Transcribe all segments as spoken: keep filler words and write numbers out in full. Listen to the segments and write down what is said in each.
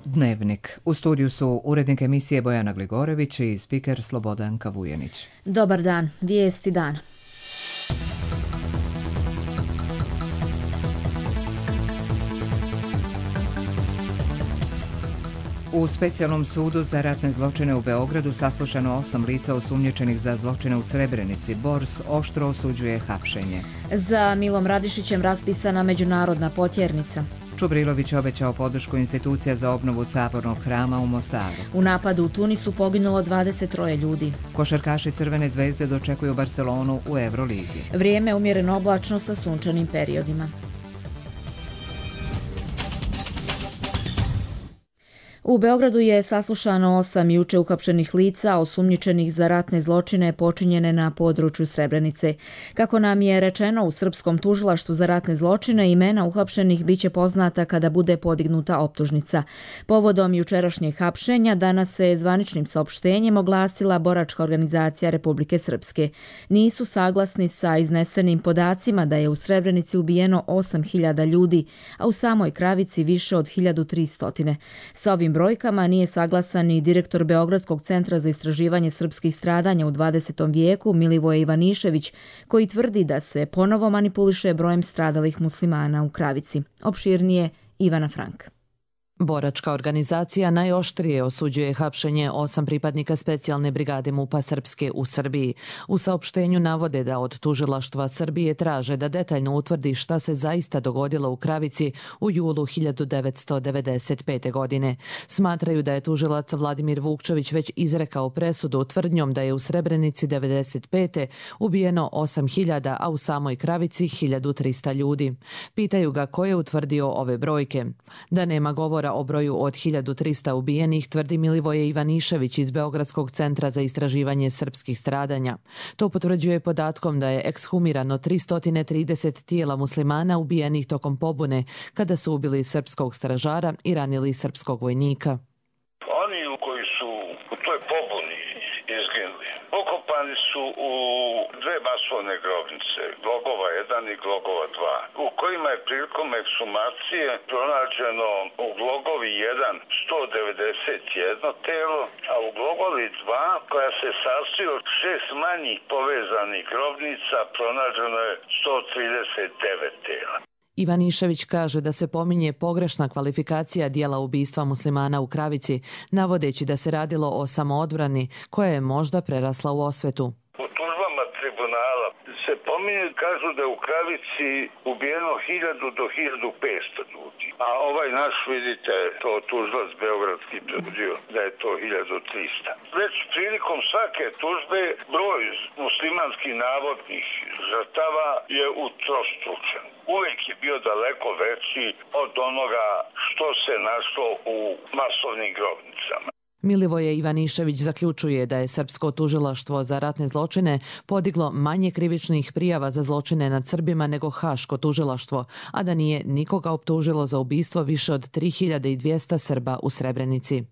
Dnevnik. U studiju su urednik emisije Bojana Gligorević i spiker Slobodanka Vujenić. Dobar dan, vijesti dana. U specijalnom sudu za ratne zločine u Beogradu saslušano osam lica osumnjičenih za zločine u Srebrenici. Bors oštro osuđuje hapšenje. Za Milom Radišićem raspisana međunarodna potjernica. Čubrilović obećao podršku institucija za obnovu Sabornog hrama u Mostaru. U napadu u Tunisu poginulo dvadeset troje ljudi. Košarkaši Crvene zvezde dočekuju Barcelonu u Euroligi. Vrijeme umjereno oblačno sa sunčanim periodima. U Beogradu je saslušano osam juče uhapšenih lica osumnjičenih za ratne zločine počinjene na području Srebrenice. Kako nam je rečeno u Srpskom tužilaštvu za ratne zločine, imena uhapšenih biće poznata kada bude podignuta optužnica. Povodom jučerašnjeg hapšenja danas se zvaničnim saopštenjem oglasila boračka organizacija Republike Srpske. Nisu saglasni sa iznesenim podacima da je u Srebrenici ubijeno osam hiljada ljudi, a u samoj Kravici više od hiljadu tristo. Sa ovim brojkama nije saglasan ni direktor Beogradskog centra za istraživanje srpskih stradanja u dvadesetom vijeku Milivoje Ivanišević, koji tvrdi da se ponovo manipuliše brojem stradalih muslimana u Kravici. Opširnije Ivana Frank. Boračka organizacija najoštrije osuđuje hapšenje osam pripadnika specijalne brigade MUP-a Srpske u Srbiji. U saopštenju navode da od tužilaštva Srbije traže da detaljno utvrdi šta se zaista dogodilo u Kravici u julu hiljadu devetsto devedeset pete. godine. Smatraju da je tužilac Vladimir Vukčević već izrekao presudu tvrdnjom da je u Srebrenici devedeset pete. ubijeno osam hiljada, a u samoj Kravici hiljadu trista ljudi. Pitaju ga ko je utvrdio ove brojke. Da nema govora o broju od hiljadu trista ubijenih, tvrdi Milivoje Ivanišević iz Beogradskog centra za istraživanje srpskih stradanja. To potvrđuje podatkom da je ekshumirano tristo trideset tijela muslimana ubijenih tokom pobune kada su ubili srpskog stražara i ranili srpskog vojnika. Oni koji su u toj pobuni izginuli, pokopani su u dve masovne grobnice, Glogova jedan i Glogova dva, u kojima je prilikom ekshumacije pronađeno u Glogovi jedan sto devedeset jedno telo, a u Glogovi dva, koja se sastoji od šest manjih povezanih grobnica, pronađeno je sto trideset devet tela. Ivanišević kaže da se pominje pogrešna kvalifikacija dijela ubistva muslimana u Kravici, navodeći da se radilo o samoodbrani koja je možda prerasla u osvetu. U tužbama tribunala se pominje, kažu da je u Kravici ubijeno hiljadu do hiljadu petsto ljudi. A ovaj naš, vidite, to tužilac beogradski tvrdio da je to hiljadu trista. Već prilikom svake tužbe broj muslimanskih navodnih žrtava je utrostručen. Uvijek je bio daleko veći od onoga što se našlo u masovnim grobnicama. Milivoje Ivanišević zaključuje da je Srpsko tužilaštvo za ratne zločine podiglo manje krivičnih prijava za zločine nad Srbima nego Haško tužilaštvo, a da nije nikoga optužilo za ubistvo više od tri hiljade dvjesto Srba u Srebrenici.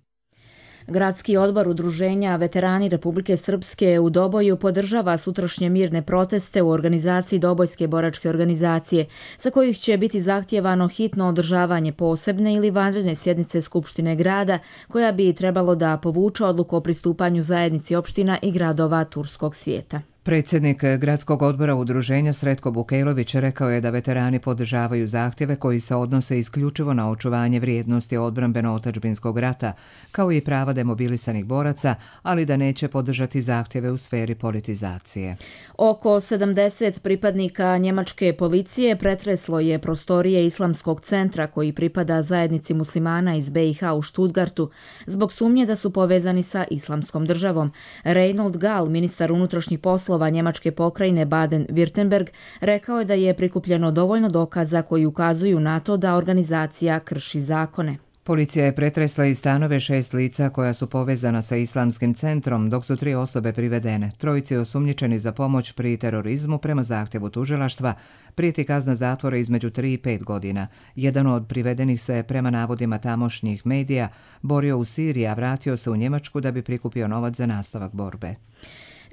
Gradski odbor Udruženja Veterani Republike Srpske u Doboju podržava sutrašnje mirne proteste u organizaciji Dobojske boračke organizacije, za kojih će biti zahtjevano hitno održavanje posebne ili vanredne sjednice Skupštine grada, koja bi trebalo da povuče odluku o pristupanju zajednici opština i gradova turskog svijeta. Predsjednik Gradskog odbora Udruženja Sretko Bukejlović rekao je da veterani podržavaju zahtjeve koji se odnose isključivo na očuvanje vrijednosti odbrambeno-otadžbinskog rata, kao i prava demobilisanih boraca, ali da neće podržati zahtjeve u sferi politizacije. Oko sedamdeset pripadnika njemačke policije pretreslo je prostorije Islamskog centra koji pripada zajednici muslimana iz B i H u Stuttgartu zbog sumnje da su povezani sa Islamskom državom. Reinhold Gall, ministar unutrašnjih poslova njemačke pokrajine Baden-Württemberg, rekao je da je prikupljeno dovoljno dokaza koji ukazuju na to da organizacija krši zakone. Policija je pretresla i stanove šest lica koja su povezana sa Islamskim centrom, dok su tri osobe privedene. Trojici osumnjičeni za pomoć pri terorizmu prema zahtjevu tužilaštva prijeti kazna zatvora između tri i pet godina. Jedan od privedenih se, prema navodima tamošnjih medija, borio u Siriji, a vratio se u Njemačku da bi prikupio novac za nastavak borbe.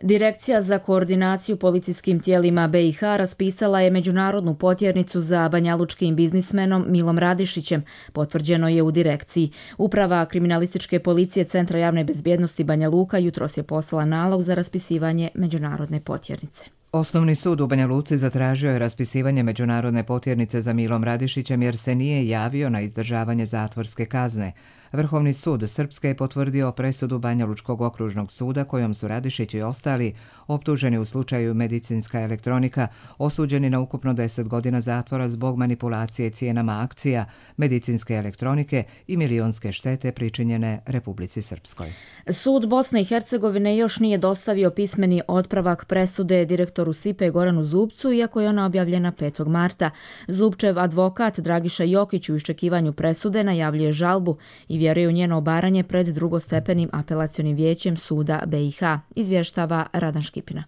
Direkcija za koordinaciju policijskim tijelima B i H raspisala je međunarodnu potjernicu za banjalučkim biznismenom Milom Radišićem, potvrđeno je u direkciji. Uprava kriminalističke policije Centra javne bezbjednosti Banja Luka jutros je poslala nalog za raspisivanje međunarodne potjernice. Osnovni sud u Banja Luci zatražio je raspisivanje međunarodne potjernice za Milom Radišićem jer se nije javio na izdržavanje zatvorske kazne. Vrhovni sud Srpske je potvrdio presudu Banjalučkog okružnog suda kojom su Radišić i ostali optuženi u slučaju medicinska elektronika osuđeni na ukupno deset godina zatvora zbog manipulacije cijenama akcija, medicinske elektronike i milionske štete pričinjene Republici Srpskoj. Sud Bosne i Hercegovine još nije dostavio pismeni otpravak presude direktoru S I P E Goranu Zubcu, iako je ona objavljena petog marta. Zubčev advokat Dragiša Jokić u iščekivanju presude najavljuje žalbu i vjeruje u njeno obaranje pred drugostepenim apelacionim vijećem suda B i H, izvještava Radan Škipina.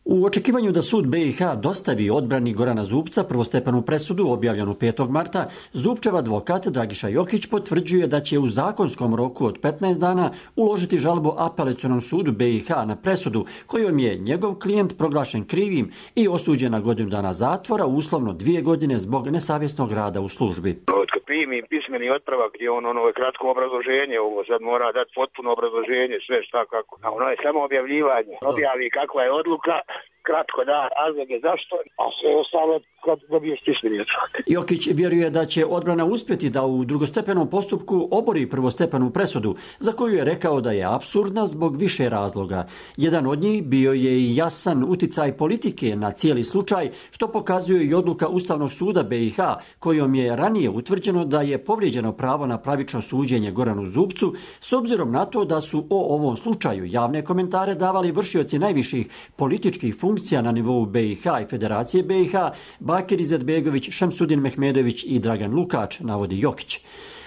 U očekivanju da sud B i H dostavi odbrani Gorana Zubca prvostepenu presudu objavljenu petog marta, Zubčev advokat Dragiša Jokić potvrđuje da će u zakonskom roku od petnaest dana uložiti žalbu apelacionom sudu B i H na presudu kojom je njegov klijent proglašen krivim i osuđen na godinu dana zatvora, uslovno dvije godine zbog nesavjesnog rada u službi. Kad primi pismeni otpravak gdje on ono je kratko obrazloženje, ovo sad mora dati potpuno obrazloženje, sve šta kako. A ono je samo objavljivanje. Objavi kakva je odluka, kratko da razloge zašto, a sve ostalo kad dobiješ pismeni otpravak. Jokić vjeruje da će odbrana uspjeti da u drugostepenom postupku obori prvostepenu presudu, za koju je rekao da je apsurdna zbog više razloga. Jedan od njih bio je i jasan uticaj politike na cijeli slučaj, što pokazuje i odluka Ustavnog suda B i H, kojom je ranije utvrđeno da je povrijeđeno pravo na pravično suđenje Goranu Zubcu, s obzirom na to da su o ovom slučaju javne komentare davali vršioci najviših političkih funkcija na nivou B i H i Federacije B i H, Bakir Izetbegović, Šemsudin Mehmedović i Dragan Lukač, navodi Jokić.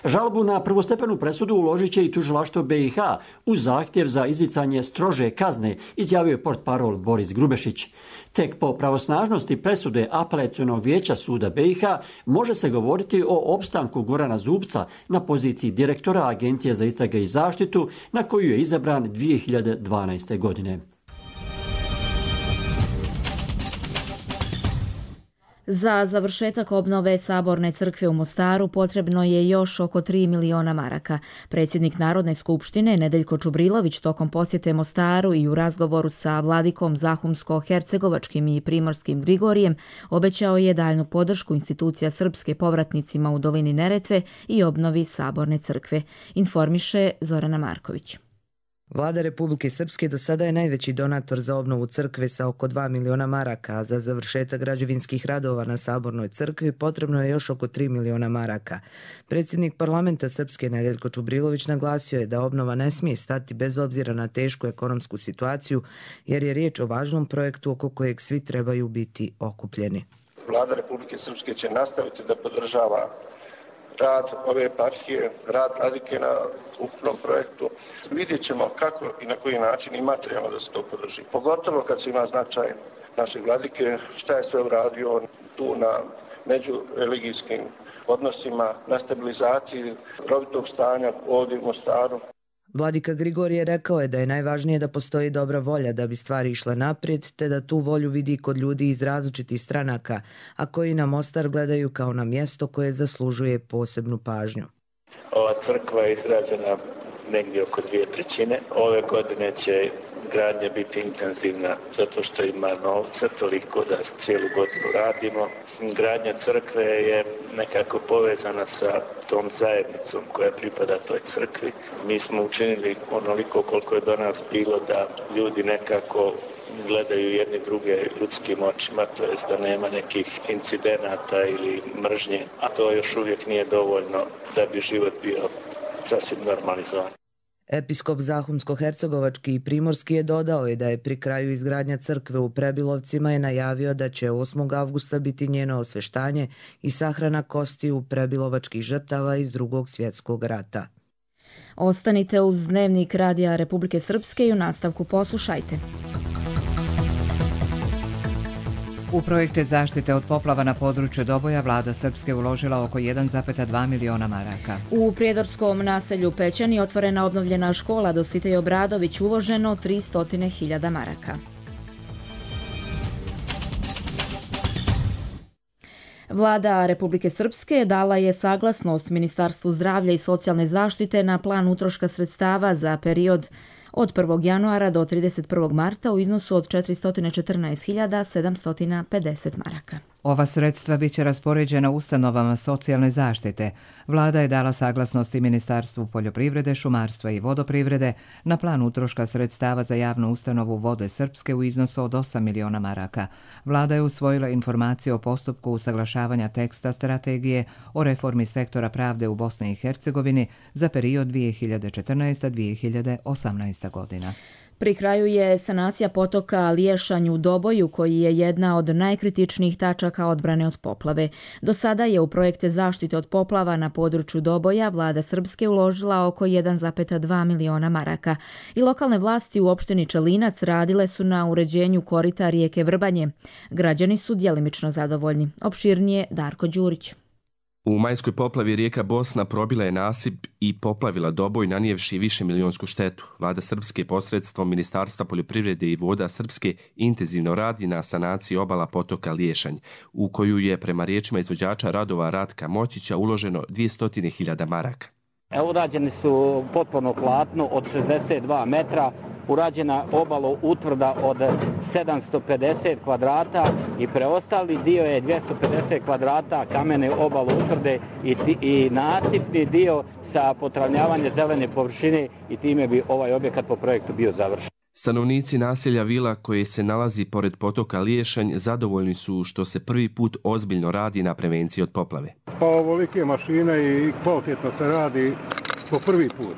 Žalbu na prvostepenu presudu uložit će i tužilaštvo B i H uz zahtjev za izricanje strože kazne, izjavio je portparol Boris Grubešić. Tek po pravosnažnosti presude apelacionog vijeća suda B i H može se govoriti o opstanku Gorana Zubca na poziciji direktora Agencije za istrage i zaštitu, na koju je izabran dvije hiljade dvanaeste. godine. Za završetak obnove Saborne crkve u Mostaru potrebno je još oko tri miliona maraka. Predsjednik Narodne skupštine Nedeljko Čubrilović tokom posjete Mostaru i u razgovoru sa vladikom Zahumsko-hercegovačkim i primorskim Grigorijem obećao je daljnu podršku institucija srpske povratnicima u dolini Neretve i obnovi Saborne crkve, informiše Zorana Marković. Vlada Republike Srpske do sada je najveći donator za obnovu crkve sa oko dva miliona maraka, a za završetak građevinskih radova na Sabornoj crkvi potrebno je još oko tri miliona maraka. Predsjednik parlamenta Srpske Nedeljko Čubrilović naglasio je da obnova ne smije stati bez obzira na tešku ekonomsku situaciju, jer je riječ o važnom projektu oko kojeg svi trebaju biti okupljeni. Vlada Republike Srpske će nastaviti da podržava rad ove eparhije, rad Vladike na ukupnom projektu. Vidjet ćemo kako i na koji način i materijalno da se to podrži. Pogotovo kad se ima značaj naše Vladike, šta je sve uradio tu na međureligijskim odnosima, na stabilizaciji rovitog stanja ovdje u Mostaru. Vladika Grigorije rekao je da je najvažnije da postoji dobra volja da bi stvari išle naprijed, te da tu volju vidi kod ljudi iz različitih stranaka, a koji na Mostar gledaju kao na mjesto koje zaslužuje posebnu pažnju. Ova crkva je izgrađena negdje oko dvije trećine. Ove godine će gradnja biti intenzivna zato što ima novca, toliko da cijelu godinu radimo. Gradnja crkve je nekako povezana sa tom zajednicom koja pripada toj crkvi. Mi smo učinili onoliko koliko je do nas bilo da ljudi nekako gledaju jedni druge ljudskim očima, to jest da nema nekih incidenata ili mržnje, a to još uvijek nije dovoljno da bi život bio sasvim normalizovan. Episkop Zahumsko-hercegovački i primorski je dodao je da je pri kraju izgradnja crkve u Prebilovcima je najavio da će osmog avgusta biti njeno osveštanje i sahrana kostiju prebilovačkih žrtava iz Drugog svjetskog rata. Ostanite uz Dnevnik Radija Republike Srpske i u nastavku poslušajte. U projekte zaštite od poplava na području Doboja vlada Srpske uložila oko jedan zarez dva miliona maraka. U prijedorskom naselju Pećani otvorena obnovljena škola Dositej Obradović, uloženo tristo hiljada maraka. Vlada Republike Srpske dala je saglasnost Ministarstvu zdravlja i socijalne zaštite na plan utroška sredstava za period od prvog januara do trideset prvog marta u iznosu od četiristo četrnaest hiljada sedamsto pedeset maraka. Ova sredstva bit će raspoređena ustanovama socijalne zaštite. Vlada je dala saglasnosti Ministarstvu poljoprivrede, šumarstva i vodoprivrede na plan utroška sredstava za javnu ustanovu Vode Srpske u iznosu od osam miliona maraka. Vlada je usvojila informaciju o postupku usaglašavanja teksta strategije o reformi sektora pravde u Bosni i Hercegovini za period dvije hiljade četrnaeste do dvije hiljade osamnaeste. godina. Pri kraju je sanacija potoka Liješanj u Doboju, koji je jedna od najkritičnijih tačaka odbrane od poplave. Do sada je u projekte zaštite od poplava na području Doboja vlada Srpske uložila oko jedan zarez dva miliona maraka i lokalne vlasti u opštini Čelinac radile su na uređenju korita rijeke Vrbanje. Građani su djelimično zadovoljni. Opširnije Darko Đurić. U majskoj poplavi rijeka Bosna probila je nasip i poplavila Doboj, nanijevši više milionsku štetu. Vlada Srpske posredstvom Ministarstva poljoprivrede i voda Srpske intenzivno radi na sanaciji obala potoka Liješanj, u koju je prema riječima izvođača radova Ratka Moćića uloženo dvjesto hiljada maraka. Urađeni su potpuno platno od šezdeset dva metra, urađena obalo utvrda od sedamsto pedeset kvadrata i preostali dio je dvjesto pedeset kvadrata kamene obalo utvrde i, i nasipni dio sa potravnjavanjem zelene površine i time bi ovaj objekat po projektu bio završen. Stanovnici naselja Vila, koje se nalazi pored potoka Liješanj, zadovoljni su što se prvi put ozbiljno radi na prevenciji od poplave. Pa ovolike mašine i kvalitetno se radi po prvi put.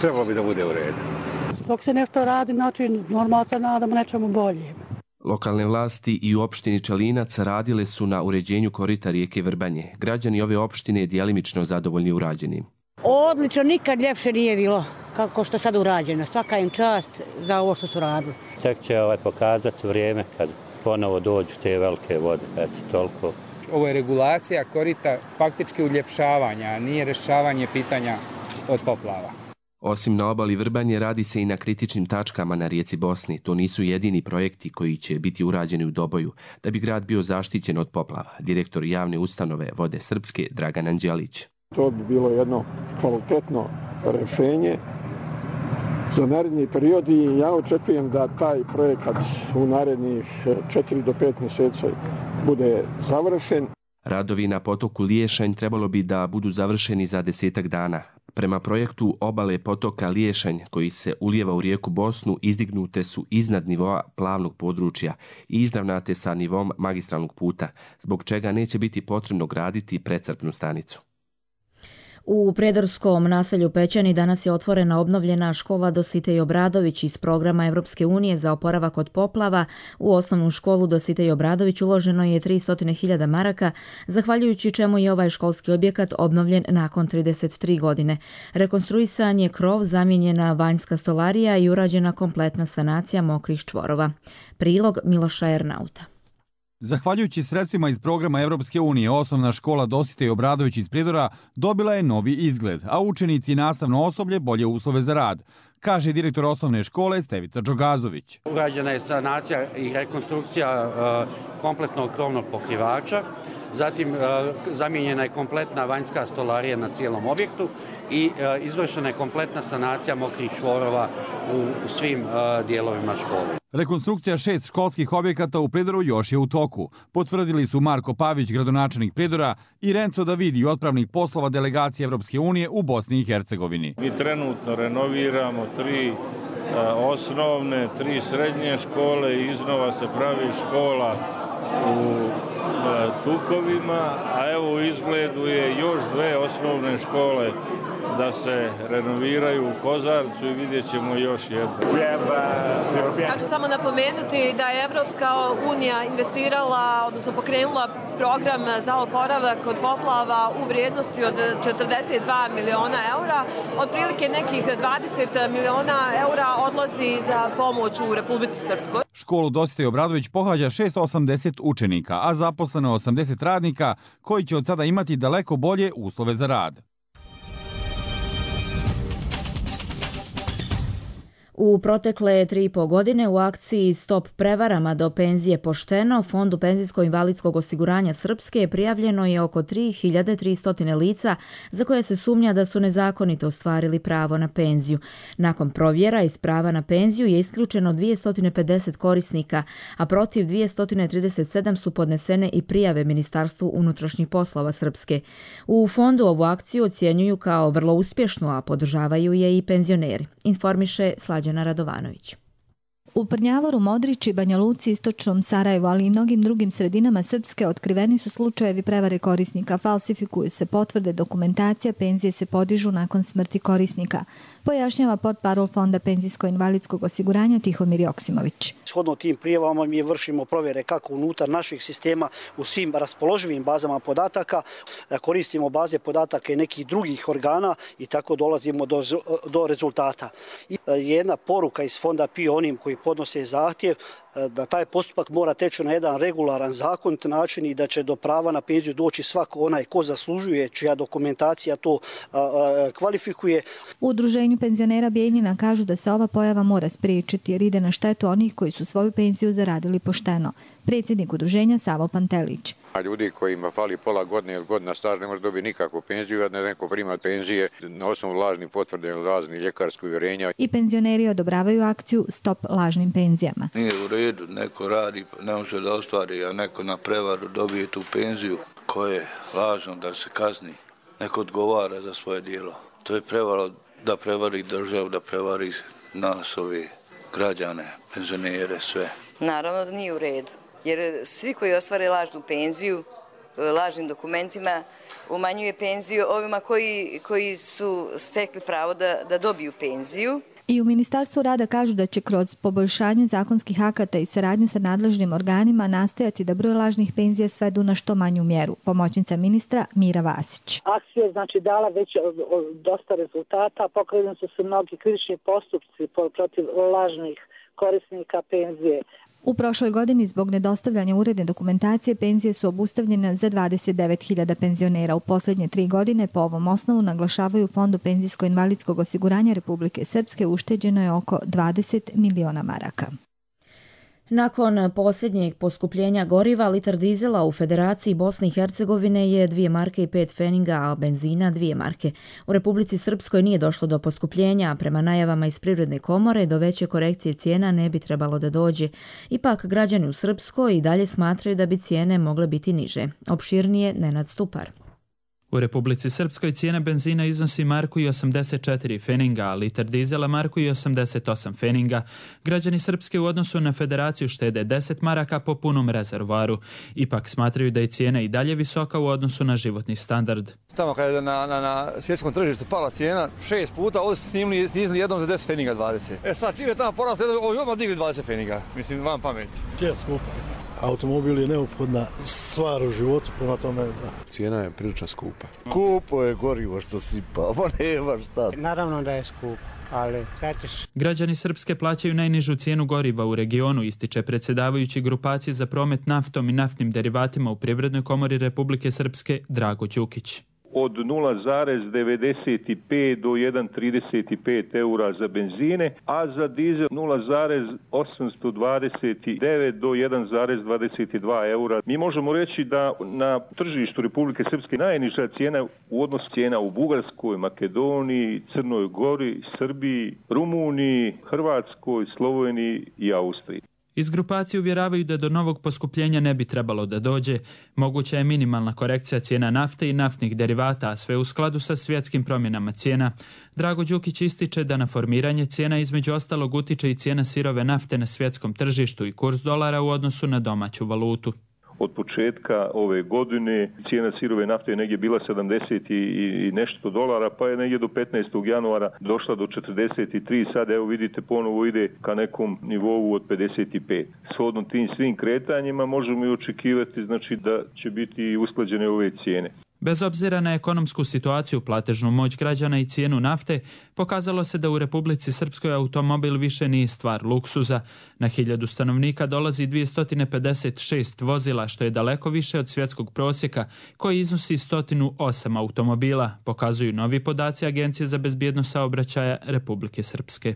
Trebalo bi da bude u redu. Dok se nešto radi, znači normalno se nadamo nečemu bolje. Lokalne vlasti i u opštini Čelinac radile su na uređenju korita rijeke Vrbanje. Građani ove opštine djelimično zadovoljni urađenim. Odlično, nikad ljepše nije bilo kako što sad urađeno. Svaka im čast za ovo što su radili. Tek će ovaj pokazati vrijeme kad ponovo dođu te velike vode. Eto, toliko. Ovo je regulacija korita faktički uljepšavanja, a nije rješavanje pitanja od poplava. Osim na obali Vrbanje, radi se i na kritičnim tačkama na rijeci Bosni. To nisu jedini projekti koji će biti urađeni u Doboju, da bi grad bio zaštićen od poplava. Direktor javne ustanove Vode Srpske, Dragan Anđelić. To bi bilo jedno kvalitetno rješenje za naredni period i ja očekujem da taj projekat u narednih četiri do pet mjeseci bude završen. Radovi na potoku Liješanj trebalo bi da budu završeni za desetak dana. Prema projektu obale potoka Liješanj, koji se ulijeva u rijeku Bosnu, izdignute su iznad nivoa plavnog područja i izravnate sa nivom magistralnog puta, zbog čega neće biti potrebno graditi precrpnu stanicu. U prijedorskom naselju Pećani danas je otvorena obnovljena škola Dositej Obradović iz programa Evropske unije za oporavak od poplava. U osnovnu školu Dositej Obradović uloženo je tristo hiljada maraka, zahvaljujući čemu je ovaj školski objekat obnovljen nakon trideset tri godine. Rekonstruisan je krov, zamijenjena vanjska stolarija i urađena kompletna sanacija mokrih čvorova. Prilog Miloša Ernauta. Zahvaljujući sredstvima iz programa Evropske unije, osnovna škola Dositej Obradović iz Prijedora dobila je novi izgled, a učenici i nastavno osoblje bolje uslove za rad, kaže direktor osnovne škole Stevica Đogazović. Urađena je sanacija i rekonstrukcija uh, kompletnog krovnog pokrivača, zatim uh, zamijenjena je kompletna vanjska stolarija na cijelom objektu i uh, izvršena je kompletna sanacija mokrih čvorova u, u svim uh, dijelovima škole. Rekonstrukcija šest školskih objekata u Prijedoru još je u toku. Potvrdili su Marko Pavić, gradonačelnik Prijedora, i Renzo Davidi, otpravnik poslova delegacije Evropske unije u Bosni i Hercegovini. Mi trenutno renoviramo tri a, osnovne, tri srednje škole i iznova se pravi škola u a, Tukovima, a evo u izgledu je još dve osnovne škole da se renoviraju u Kozarcu i vidjet ćemo još jedno. Ja ću samo napomenuti da je Evropska unija investirala, odnosno pokrenula program za oporavak od poplava u vrijednosti od četrdeset dva miliona eura. Otprilike nekih dvadeset miliona eura odlazi za pomoć u Republici Srpskoj. Školu Dositej Obradović pohađa šesto osamdeset učenika, a zaposleno osamdeset radnika koji će od sada imati daleko bolje uslove za rad. U protekle tri i po godine u akciji Stop prevarama do penzije pošteno Fondu penzijsko-invalidskog osiguranja Srpske prijavljeno je oko tri hiljade tristo lica za koje se sumnja da su nezakonito ostvarili pravo na penziju. Nakon provjera iz prava na penziju je isključeno dvjesto pedeset korisnika, a protiv dvjesto trideset sedam su podnesene i prijave Ministarstvu unutrašnjih poslova Srpske. U fondu ovu akciju ocjenjuju kao vrlo uspješnu, a podržavaju je i penzioneri, informiše Slađana Radovanović. U Prnjavoru, Modrići, Banja Luci, Istočnom Sarajevu, ali i mnogim drugim sredinama Srpske otkriveni su slučajevi prevare korisnika, falsifikuju se potvrde, dokumentacija, penzije se podižu nakon smrti korisnika, pojašnjava portparol Fonda penzijsko-invalidskog osiguranja Tihomir Joksimović. Shodno tim prijavama mi vršimo provjere kako unutar naših sistema u svim raspoloživim bazama podataka, koristimo baze podataka i nekih drugih organa i tako dolazimo do, do rezultata. I jedna poruka iz Fonda P I O onim koji podnose zahtjev da taj postupak mora teći na jedan regularan, zakonit način i da će do prava na penziju doći svako onaj ko zaslužuje, čija dokumentacija to a, a, kvalifikuje. U Udruženju penzionera Bijeljina kažu da se ova pojava mora spriječiti jer ide na štetu onih koji su svoju penziju zaradili pošteno. Predsjednik udruženja Savo Pantelić. A ljudi kojima fali pola godine ili godina staža ne može dobiti nikakvu penziju, jer neko prima penzije na osnovu lažnih potvrda ili raznih ljekarskih uvjerenja. I penzioneri odobravaju akciju Stop lažnim penzijama. Nije u redu, neko radi, ne može da ostvari, a neko na prevaru dobije tu penziju koje je lažno da se kazni. Neko odgovara za svoje djelo. To je prevara da prevari državu, da prevari nas, ove građane, penzionere, sve. Naravno da nije u redu. Jer svi koji ostvare lažnu penziju, lažnim dokumentima, umanjuje penziju ovima koji, koji su stekli pravo da, da dobiju penziju. I u Ministarstvu rada kažu da će kroz poboljšanje zakonskih akata i saradnju sa nadležnim organima nastojati da broj lažnih penzija svedu na što manju mjeru. Pomoćnica ministra Mira Vasić. Akcija je znači dala već dosta rezultata, pokrenuli su se mnogi krivični postupci protiv lažnih korisnika penzije. U prošloj godini zbog nedostavljanja uredne dokumentacije penzije su obustavljene za dvadeset devet hiljada penzionera. U posljednje tri godine po ovom osnovu, naglašavaju Fondu penzijsko-invalidskog osiguranja Republike Srpske, ušteđeno je oko dvadeset miliona maraka. Nakon posljednjeg poskupljenja goriva, litar dizela u Federaciji Bosne i Hercegovine je dvije marke i pet feninga, a benzina dvije marke. U Republici Srpskoj nije došlo do poskupljenja, a prema najavama iz Privredne komore do veće korekcije cijena ne bi trebalo da dođe. Ipak, građani u Srpskoj i dalje smatraju da bi cijene mogle biti niže. Opširnije Nenad Stupar. U Republici Srpskoj cijena benzina iznosi marku i osamdeset četiri feninga, a litar dizela marku i osamdeset osam feninga. Građani Srpske u odnosu na Federaciju štede deset maraka po punom rezervoaru. Ipak smatraju da je cijena i dalje visoka u odnosu na životni standard. Tamo kada je na, na, na svjetskom tržištu pala cijena šest puta, ovdje su snimili, snizili jednom za deset feninga dvadeset. E sad, čim je tamo poraslo, ovdje odmah digli dvadeset feninga. Mislim, vam pamet. Čija skupa? Automobil je neophodna stvar u životu, prema tome da. Cijena je prilično skupa. Kupo je gorivo što sipa, pa nema šta. Naravno da je skup, ali sad ćeš... Građani Srpske plaćaju najnižu cijenu goriva u regionu, ističe predsjedavajući grupacije za promet naftom i naftnim derivatima u Privrednoj komori Republike Srpske Drago Đukić. Od nula zarez devedeset pet do jedan zarez trideset pet eura za benzine, a za dizel nula zarez osamsto dvadeset devet do jedan zarez dvadeset dva eura. Mi možemo reći da na tržištu Republike Srpske najniža cijena u odnosu cijena u Bugarskoj, Makedoniji, Crnoj Gori, Srbiji, Rumuniji, Hrvatskoj, Sloveniji i Austriji. Iz grupacije uvjeravaju da do novog poskupljenja ne bi trebalo da dođe. Moguća je minimalna korekcija cijena nafte i naftnih derivata, a sve u skladu sa svjetskim promjenama cijena. Drago Đukić ističe da na formiranje cijena između ostalog utiče i cijena sirove nafte na svjetskom tržištu i kurs dolara u odnosu na domaću valutu. od početka ove godine. Cijena sirove nafte je negdje bila sedamdeset i nešto dolara, pa je negdje do petnaestog januara došla do četrdeset tri. Sad evo vidite ponovo ide ka nekom nivou od pedeset pet. Shodno tim svim kretanjima možemo i očekivati znači da će biti usklađene ove cijene. Bez obzira na ekonomsku situaciju, platežnu moć građana i cijenu nafte, pokazalo se da u Republici Srpskoj automobil više nije stvar luksuza. Na hiljadu stanovnika dolazi dvjesto pedeset šest vozila, što je daleko više od svjetskog prosjeka, koji iznosi sto osam automobila, pokazuju novi podaci Agencije za bezbjednost saobraćaja Republike Srpske.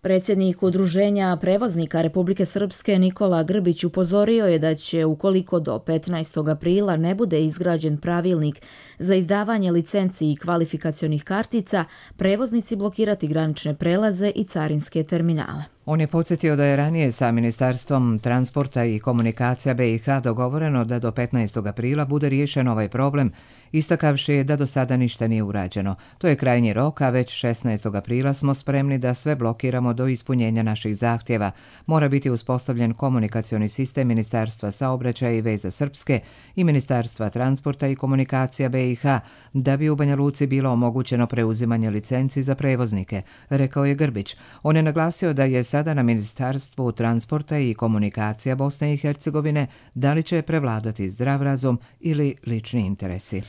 Predsjednik Udruženja prevoznika Republike Srpske Nikola Grbić upozorio je da će, ukoliko do petnaestog aprila ne bude izgrađen pravilnik za izdavanje licenci i kvalifikacionih kartica, prevoznici blokirati granične prelaze i carinske terminale. On je podsjetio da je ranije sa Ministarstvom transporta i komunikacija B i H dogovoreno da do petnaestog aprila bude riješen ovaj problem, istakavši da do sada ništa nije urađeno. To je krajnji rok, a već šesnaestog aprila smo spremni da sve blokiramo do ispunjenja naših zahtjeva. Mora biti uspostavljen komunikacioni sistem Ministarstva saobraćaja i veza Srpske i Ministarstva transporta i komunikacija B i H da bi u Banja Luci bilo omogućeno preuzimanje licenci za prevoznike, rekao je Grbić. On je naglasio da je sada na Ministarstvu transporta i komunikacija Bosne i Hercegovine da li će prevladati zdrav razum ili lični interesi.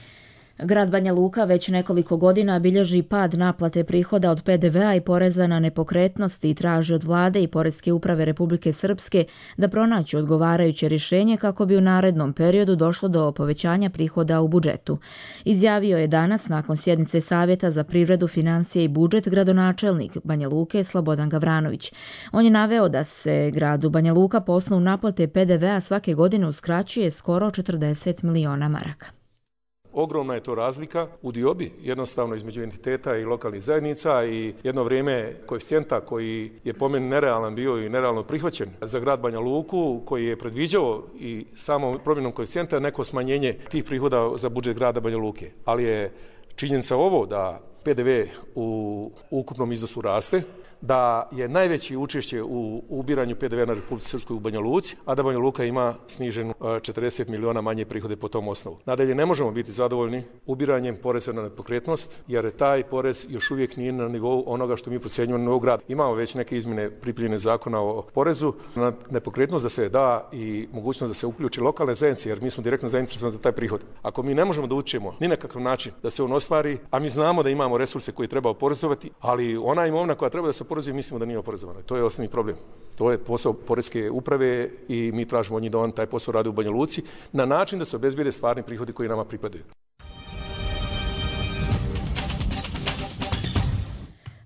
Grad Banja Luka već nekoliko godina bilježi pad naplate prihoda od P D V a i poreza na nepokretnosti i traži od vlade i Poreske uprave Republike Srpske da pronađu odgovarajuće rješenje kako bi u narednom periodu došlo do povećanja prihoda u budžetu. Izjavio je danas nakon sjednice Savjeta za privredu, financije i budžet gradonačelnik Banja Luke Slobodan Gavranović. On je naveo da se gradu Banja Luka po osnovu naplate P D V a svake godine uskraćuje skoro četrdeset miliona maraka. Ogromna je to razlika u diobi jednostavno između entiteta i lokalnih zajednica i jedno vrijeme koeficijenta koji je po meni nerealan bio i nerealno prihvaćen za grad Banja Luku, koji je predviđao i samom promjenom koeficijenta neko smanjenje tih prihoda za budžet grada Banja Luke. Ali je činjenica ovo da P D V u ukupnom iznosu raste, da je najveće učešće u ubiranju P D V na Republici Srpskoj u Banja Luci, a da Banja Luka ima sniženu četrdeset miliona manje prihode po tom osnovu. Nadalje, ne možemo biti zadovoljni ubiranjem poreza na nepokretnost, jer taj porez još uvijek nije na nivou onoga što mi procjenjujemo na nivou grada. Imamo već neke izmjene pripremljene zakona o porezu na nepokretnost da se da i mogućnost da se uključi lokalne zajednice, jer mi smo direktno zainteresovani za taj prihod. Ako mi ne možemo da učimo ni na kakav način da se on ostvari, a mi znamo da imamo resurse koje treba oporezovati, ali ona imovina koja treba da se oporezuje, mislimo da nije oporezovana. To je osnovni problem. To je posao Poreske uprave i mi tražimo od njih da on taj posao radi u Banja Luci na način da se obezbijede stvarni prihodi koji nama pripadaju.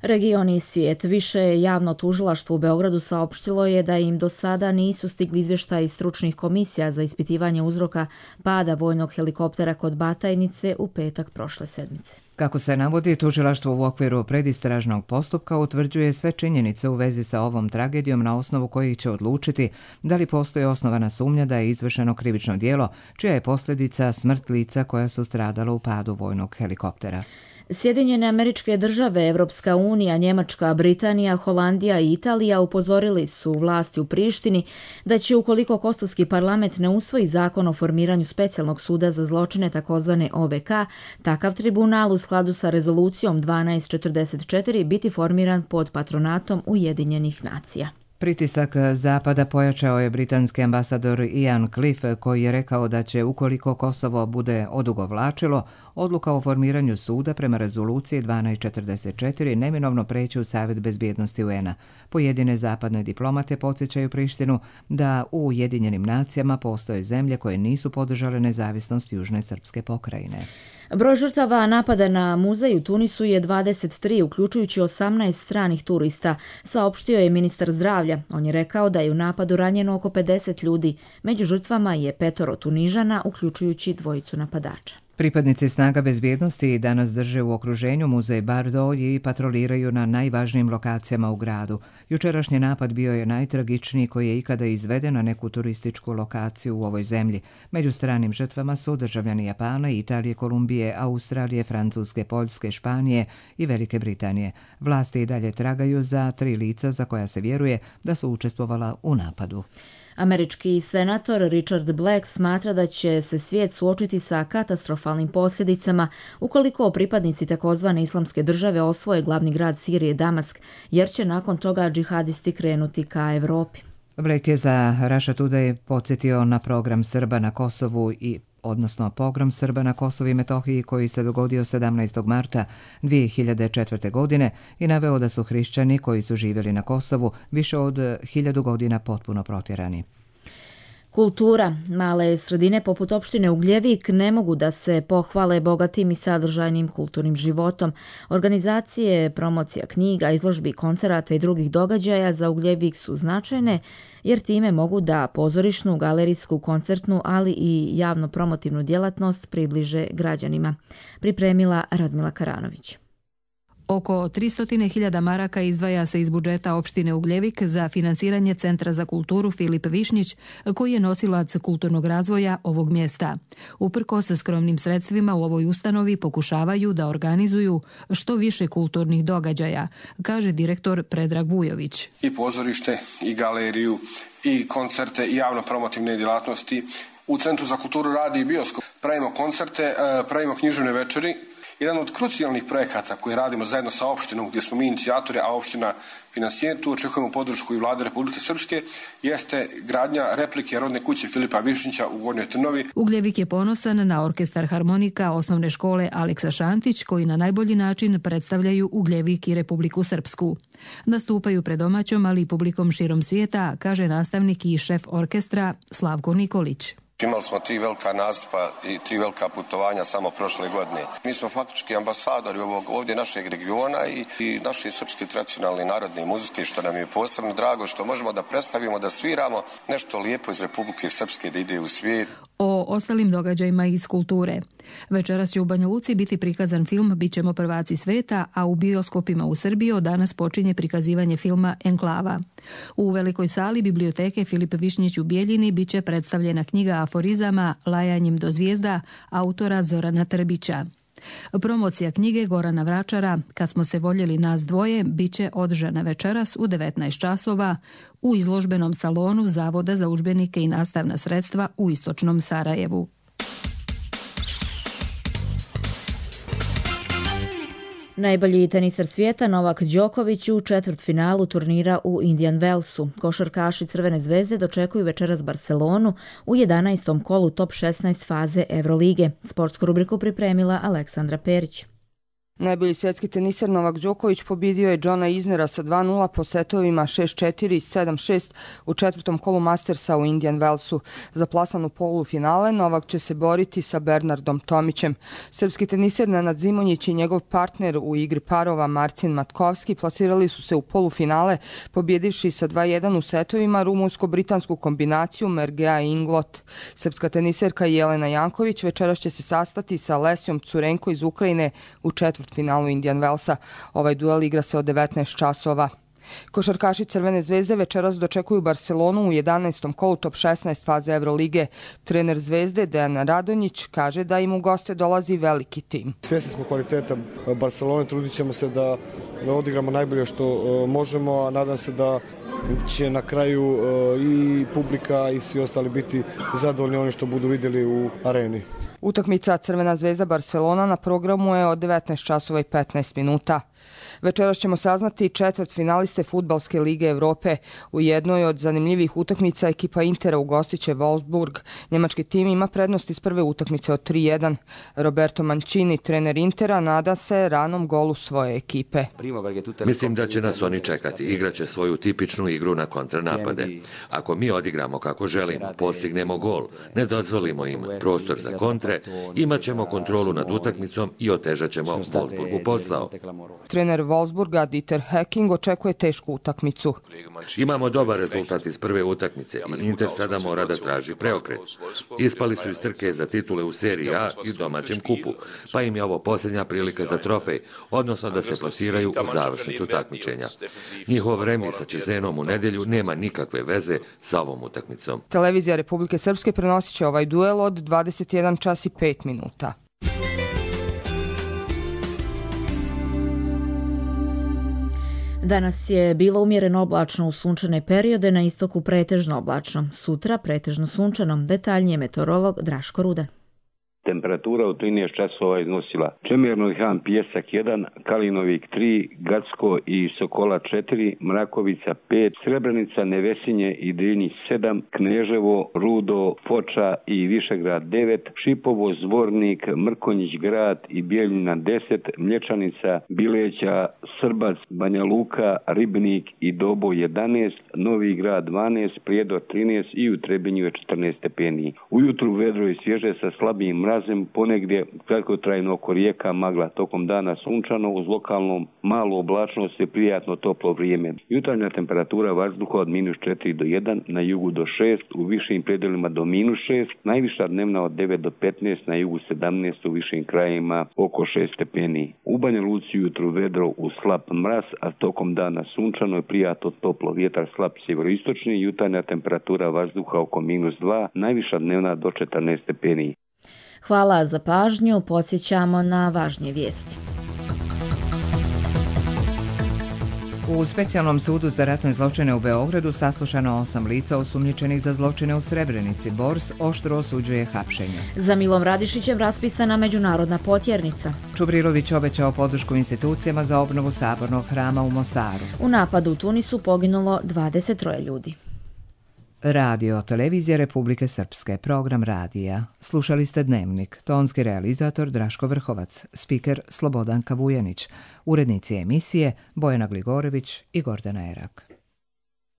Region i svijet. Više javno tužilaštvo u Beogradu saopštilo je da im do sada nisu stigli izvještaji stručnih komisija za ispitivanje uzroka pada vojnog helikoptera kod Batajnice u petak prošle sedmice. Kako se navodi, tužilaštvo u okviru predistražnog postupka utvrđuje sve činjenice u vezi sa ovom tragedijom na osnovu kojih će odlučiti da li postoji osnovana sumnja da je izvršeno krivično djelo, čija je posljedica smrt lica koja su stradala u padu vojnog helikoptera. Sjedinjene Američke Države, Evropska unija, Njemačka, Britanija, Holandija i Italija upozorili su vlasti u Prištini da će, ukoliko kosovski parlament ne usvoji zakon o formiranju specijalnog suda za zločine takozvane O V K, takav tribunal u skladu sa rezolucijom dvanaest četrdeset četiri biti formiran pod patronatom Ujedinjenih nacija. Pritisak Zapada pojačao je britanski ambasador Ian Cliff, koji je rekao da će, ukoliko Kosovo bude odugovlačilo, odluka o formiranju suda prema rezoluciji dvanaest četrdeset četiri neminovno preći u Savjet bezbjednosti U N A. Pojedine zapadne diplomate podsjećaju Prištinu da u Ujedinjenim nacijama postoje zemlje koje nisu podržale nezavisnost Južne srpske pokrajine. Broj žrtava napada na muzej u Tunisu je dvadeset tri, uključujući osamnaest stranih turista, saopštio je ministar zdravlja. On je rekao da je u napadu ranjeno oko pedeset ljudi. Među žrtvama je petoro Tunižana, uključujući dvojicu napadača. Pripadnici snaga bezbjednosti danas drže u okruženju muzej Bardo i patroliraju na najvažnijim lokacijama u gradu. Jučerašnji napad bio je najtragičniji koji je ikada izveden na neku turističku lokaciju u ovoj zemlji. Među stranim žrtvama su državljani Japana, Italije, Kolumbije, Australije, Francuske, Poljske, Španije i Velike Britanije. Vlasti i dalje tragaju za tri lica za koja se vjeruje da su učestvovala u napadu. Američki senator Richard Black smatra da će se svijet suočiti sa katastrofalnim posljedicama ukoliko pripadnici takozvane islamske države osvoje glavni grad Sirije Damask, jer će nakon toga džihadisti krenuti ka Evropi. Black je za Russia Today podsjetio na program Srba na Kosovu i odnosno pogrom Srba na Kosovu i Metohiji koji se dogodio sedamnaestog marta dvije hiljade četvrte. godine i naveo da su hrišćani koji su živjeli na Kosovu više od hiljadu godina potpuno protjerani. Kultura. Male sredine poput opštine Ugljevik ne mogu da se pohvale bogatim i sadržajnim kulturnim životom. Organizacije, promocija knjiga, izložbi, koncerata i drugih događaja za Ugljevik su značajne jer time mogu da pozorišnu, galerijsku, koncertnu, ali i javno promotivnu djelatnost približe građanima. Pripremila Radmila Karanović. Oko tristo hiljada maraka izdvaja se iz budžeta opštine Ugljevik za finansiranje Centra za kulturu Filip Višnjić, koji je nosilac kulturnog razvoja ovog mjesta. Uprkos skromnim sredstvima u ovoj ustanovi pokušavaju da organizuju što više kulturnih događaja, kaže direktor Predrag Vujović. I pozorište, i galeriju, i koncerte, i javno promotivne djelatnosti. U Centru za kulturu radi i bioskop. Pravimo koncerte, pravimo književne večeri. Jedan od krucijalnih projekata koje radimo zajedno sa opštinom, gdje smo mi inicijatori, a opština finansijer, tu očekujemo podršku i vlade Republike Srpske, jeste gradnja replike rodne kuće Filipa Višnjića u Gornjoj Trnovi. Ugljevik je ponosan na orkestar harmonika osnovne škole Aleksa Šantić, koji na najbolji način predstavljaju Ugljevik i Republiku Srpsku. Nastupaju pred domaćom, ali i publikom širom svijeta, kaže nastavnik i šef orkestra Slavko Nikolić. Imali smo tri velika nastupa i tri velika putovanja samo prošle godine. Mi smo faktički ambasadori ovog ovdje našeg regiona i, i naše srpske tradicionalne narodne muzike, što nam je posebno drago, što možemo da predstavimo, da sviramo nešto lijepo iz Republike Srpske da ide u svijet. O ostalim događajima iz kulture. Večeras će u Banja Luci biti prikazan film Bićemo prvaci sveta, a u bioskopima u Srbiji od danas počinje prikazivanje filma Enklava. U velikoj sali biblioteke Filip Višnjić u Bijeljini biće predstavljena knjiga aforizama Lajanjem do zvijezda autora Zorana Trbića. Promocija knjige Gorana Vračara Kad smo se voljeli nas dvoje biće održana večeras u devetnaest časova u izložbenom salonu Zavoda za udžbenike i nastavna sredstva u Istočnom Sarajevu. Najbolji tenisar svijeta Novak Đoković u četvrtfinalu turnira u Indian Wellsu. Košarkaši Crvene zvezde dočekuju večeras Barcelonu u jedanaestom kolu top šesnaest faze Evrolige. Sportsku rubriku pripremila Aleksandra Perić. Najbolji svjetski tenisar Novak Đoković pobjedio je Johna Isnera sa dva nula po setovima šest četiri i sedam šest u četvrtom kolu Mastersa u Indian Wellsu. Za plasman u polufinale Novak će se boriti sa Bernardom Tomićem. Srpski tenisar Nenad Zimonjić i njegov partner u igri parova Marcin Matkovski plasirali su se u polufinale pobjedivši sa dva jedan u setovima rumunsko-britansku kombinaciju Mergea i Inglot. Srpska tenisarka Jelena Janković večeras će se sastati sa Lesjom Curenko iz Ukrajine u četvrtom finalu Indian Wellsa. Ovaj duel igra se od devetnaest časova. Košarkaši Crvene zvezde večeras dočekuju Barcelonu u jedanaestom kolu top šesnaest faze Evrolige. Trener Zvezde Dejan Radonjić kaže da im u goste dolazi veliki tim. Svjesni smo kvaliteta Barcelone, trudit ćemo se da odigramo najbolje što možemo, a nadam se da će na kraju i publika i svi ostali biti zadovoljni oni što budu vidjeli u areni. Utakmica Crvena zvezda Barcelona na programu je od devetnaest časova i petnaest minuta. Večeras ćemo saznati četvrt finaliste Fudbalske lige Evrope. U jednoj od zanimljivih utakmica ekipa Intera ugostiće Wolfsburg. Njemački tim ima prednost iz prve utakmice od tri jedan. Roberto Mancini, trener Intera, nada se ranom golu svoje ekipe. Mislim da će nas oni čekati. Igraće svoju tipičnu igru na kontranapade. Ako mi odigramo kako želimo, postignemo gol, ne dozvolimo im prostor za kontre, imat ćemo kontrolu nad utakmicom i otežat ćemo Wolfsburgu posao. Trener Wolfsburga Dieter Hecking očekuje tešku utakmicu. Imamo dobar rezultat iz prve utakmice i Inter sada mora da traži preokret. Ispali su iz trke za titule u seriji A i domaćem kupu, pa im je ovo posljednja prilika za trofej, odnosno da se plasiraju u završnicu takmičenja. Njihov remis sa Čizenom u nedjelju nema nikakve veze sa ovom utakmicom. Televizija Republike Srpske prenosit će ovaj duel od dvadeset jedan čas i pet minuta. Danas je bilo umjereno oblačno u sunčane periode, na istoku pretežno oblačno. Sutra pretežno sunčano. Detaljnije meteorolog Draško Rudan. Temperatura u trinaest časova iznosila Čemirnoj Han Pjesak jedan, Kalinovik tri, Gacko i Sokola četiri, Mrakovica pet, Srebrenica, Nevesinje i Drinjić sedam, Kneževo, Rudo, Foča i Višegrad devet, Šipovo, Zvornik, Mrkonjić grad i Bijeljina deset, Mlječanica, Bileća, Srbac, Banja Luka, Ribnik i Dobo jedanaest, Novi grad dvanaest, Prijedor trinaest i u Trebinju je četrnaest stepeni. Ujutru vedro i svježe sa slabijim mrazem, ponegdje kratkotrajno oko rijeka, magla, tokom dana sunčano, uz lokalnom malu oblačnost i prijatno toplo vrijeme. Jutarnja temperatura vazduha od minus četiri do jedan, na jugu do šest, u višim predjelima do minus šest, najviša dnevna od devet do petnaest, na jugu sedamnaest, u višim krajima oko šest stepeni. U Banja Luci jutru vedro uz slab mraz, a tokom dana sunčano i prijatno toplo, vjetar slab sjeveroistočni, jutarnja temperatura vazduha oko minus dva, najviša dnevna do četrnaest stepeni. Hvala za pažnju, podsjećamo na važnije vijesti. U Specijalnom sudu za ratne zločine u Beogradu saslušano osam lica osumnjičenih za zločine u Srebrenici. Bors oštro osuđuje hapšenje. Za Milom Radišićem raspisana međunarodna potjernica. Čubrilović obećao podršku institucijama za obnovu sabornog hrama u Mosaru. U napadu u Tunisu poginulo dvadeset troje ljudi. Radio, televizija Republike Srpske, program radija. Slušali ste Dnevnik, tonski realizator Draško Vrhovac, spiker Slobodanka Vujanić, urednici emisije Bojana Gligorević i Gordana Erak.